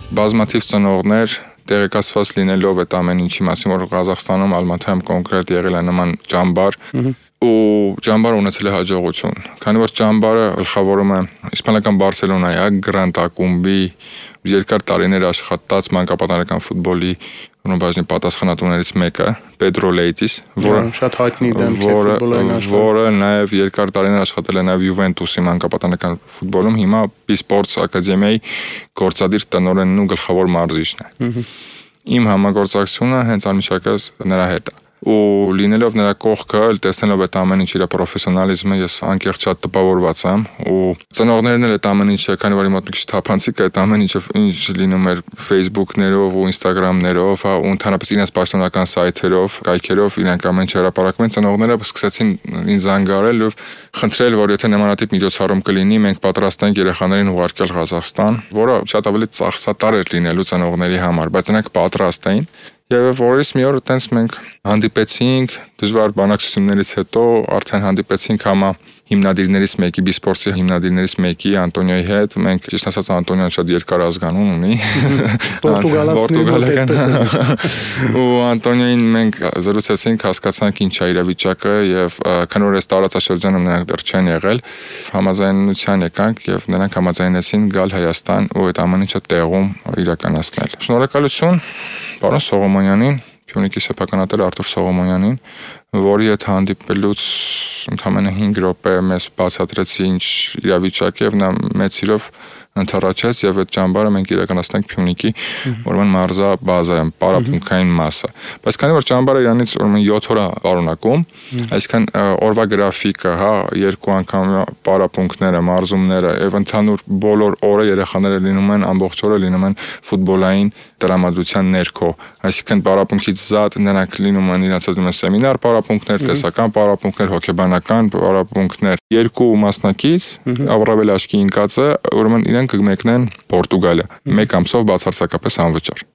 Բազմաթիվ ծնողներ տեղեկացված լինելով այդ ամեն ինչի մասին, որ Ղազախստանում Ալմաթայում կոնկրետ եղել է նման ճամբար, ու ճամբարը ունեցել է հաջողություն։ Քանի որ ճամբարը գլխավորում է իսպանական Բարսելոնայի Գրանդ ակումբի երկար տարիներ աշխատած մանկապատանեկան ֆուտբոլի բաժնի պատասխանատուներից մեկը, Պեդրո Լեյտիս, շատ հայտնի դեմք է ֆուտբոլային աշխարհում, որը նաև երկար տարիներ աշխատել է նաև Յուվենտուսի մանկապատանեկան ֆուտբոլում, հիմա Պիսպորտս ակադեմիայի գործադիր տնօրենն ու գլխավոր մարզիչն է։ Իմ համագործակցությունը հենց անմիջապես նրա հետ է։ Ու լինելով նրա կողքը, տեսնելով այդ ամեն ինչ իր պրոֆեսիոնալիզմը, ես անկեղծ շատ տպավորված եմ ու ծնողներն էլ այդ ամեն ինչը, քանի որ մոտ մի քիչ թափանցիկ է այդ ամեն ինչը ինչ լինում էր Facebook-ներով ու Instagram-ներով, ու ընդհանրապես իրենց պաշտոնական սայթերով, կայքերով իրենք ամեն ինչ հրապարակում են, ծնողները սկսեցին ինձ զանգարել ու խնդրել, որ եթե նմանատիպ միջոցառում կլինի, մենք պատրաստ ենք երեխաներին ուղարկել Ղազախստան, որը շատ ավելի ծախսատար էր լինելու ծնողների համար, բայց նրանք պատրաստ էին։ Եվ որից մի օր այտենց մենք հանդիպեցինք, դժվար բանակցություններից հետո արդեն հանդիպեցինք համա հիմնադիրներից մեկի, Բիսպորտսի հիմնադիրներից մեկի Անտոնիոյի հետ, մենք ճիշտ ասած Անտոնիոն շատ երկար ազգանուն ունի, Պորտուգալացիների ու Անտոնիոին մենք զրուցեցինք, հասկացանք ինչ է իրավիճակը եւ քանի որ այս տարածաշրջանում նրանք դեռ չեն եղել, համաձայնության եկանք եւ նրանք համաձայնեցին գալ Հայաստան ու այդ ամեն ինչը տեղում իրականացնել։ Շնորհակալություն պարոն Սողոմոնյանին, Փյունիկի սեփականատեր Արտուր Սողոմոնյանին, որի հետ հանդիպելուց ընդամենը 5 րոպե մեզ բացատրեց ինչ իրավիճակ է եւ նա մեծ սիրով ընթառաջեց եւ այդ ճամբարը մենք իրականացնենք Փյունիկի ուրեմն մարզա բազայում, պարապմունքային մասը։ Բայց քանի որ ճամբարը իրանից ուրեմն 7 օր պարունակում, այսինքն օրվա գրաֆիկը, երկու անգամ պարապմունքները, մարզումները եւ ընդհանուր բոլոր օրը երեխաները լինում են ամբողջ օրը լինում են ֆուտբոլային տրամադրության ներքո, այսինքն պարապմունքից զատ նրանք լինում են իրաց սեմինար պարապմունքներ, տեսական պարապմունքներ, հոգեբանական պարապմունքներ, երկու մասնակից Ավրավել Աշկի ինկածը ուրեմն իրենք կմեկնեն Պորտուգալիա, մեկ ամսով բացարձակապես անվճար։